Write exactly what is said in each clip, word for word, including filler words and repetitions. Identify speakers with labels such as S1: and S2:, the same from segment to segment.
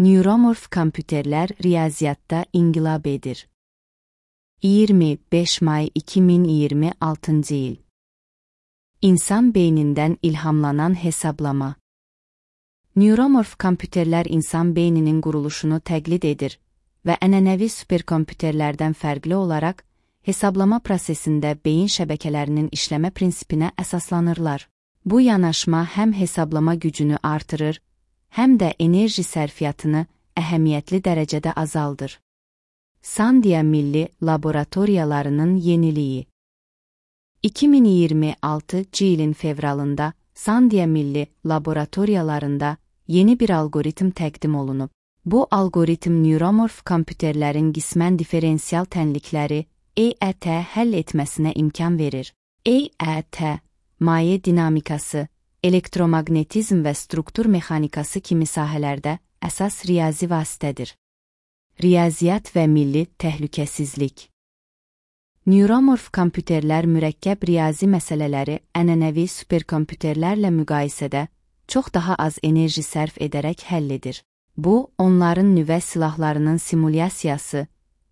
S1: Neuromorf kompüterlər riyaziyyatda inqilab edir. iyirmi beş may iki min iyirmi altıncı il. İnsan beynindən ilhamlanan hesablama. Neuromorf kompüterlər insan beyninin quruluşunu təqlid edir və ənənəvi superkompüterlərdən fərqli olaraq hesablama prosesində beyin şəbəkələrinin işləmə prinsipinə əsaslanırlar. Bu yanaşma həm hesablama gücünü artırır, həm də enerji sərfiyyatını əhəmiyyətli dərəcədə azaldır. Sandia Milli Laboratoriyalarının yeniliyi. iki min iyirmi altıncı ilin fevralında Sandia Milli Laboratoriyalarında yeni bir algoritm təqdim olunub. Bu algoritm neuromorf kompüterlərin qismən diferensial tənlikləri E E T həll etməsinə imkan verir. E E T, maye dinamikası, elektromagnetizm və struktur mexanikası kimi sahələrdə əsas riyazi vasitədir. Riyaziyyat və milli təhlükəsizlik. Neuromorf kompüterlər mürəkkəb riyazi məsələləri ənənəvi superkompüterlərlə müqayisədə çox daha az enerji sərf edərək həll edir. Bu, onların nüvə silahlarının simulyasiyası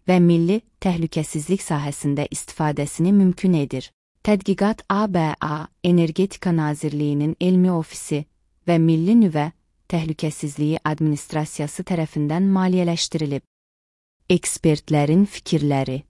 S1: və milli təhlükəsizlik sahəsində istifadəsini mümkün edir. Tədqiqat A B A Energetika Nazirliyinin Elmi Ofisi və Milli Nüvə Təhlükəsizliyi Administrasiyası tərəfindən maliyyələşdirilib. Ekspertlərin fikirləri.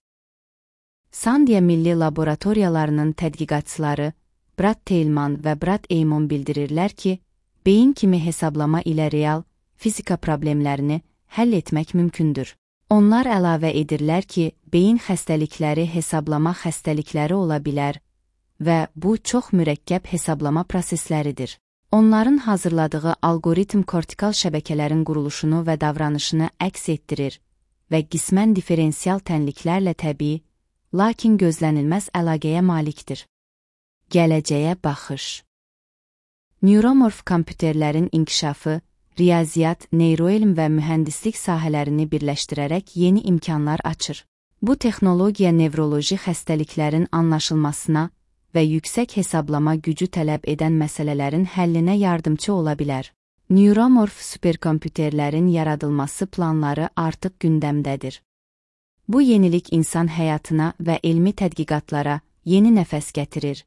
S1: Sandia Milli Laboratoriyalarının tədqiqatçıları Brad Teilman və Brad Eymon bildirirlər ki, beyin kimi hesablama ilə real fizika problemlərini həll etmək mümkündür. Onlar əlavə edirlər ki, beyin xəstəlikləri hesablama xəstəlikləri ola bilər və bu çox mürəkkəb hesablama prosesləridir. Onların hazırladığı algoritm kortikal şəbəkələrin quruluşunu və davranışını əks etdirir və qismən diferensial tənliklərlə təbii, lakin gözlənilməz əlaqəyə malikdir. Gələcəyə baxış. Neuromorf kompüterlərin inkişafı, riyaziyyat, neyroelm və mühəndislik sahələrini birləşdirərək yeni imkanlar açır. Bu texnologiya nevroloji xəstəliklərin anlaşılmasına və yüksək hesablama gücü tələb edən məsələlərin həllinə yardımçı ola bilər. Neuromorf superkompüterlərin yaradılması planları artıq gündəmdədir. Bu yenilik insan həyatına və elmi tədqiqatlara yeni nəfəs gətirir.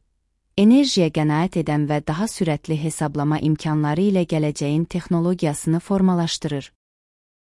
S1: Enerjiyə qənaət edən və daha sürətli hesablama imkanları ilə gələcəyin texnologiyasını formalaşdırır.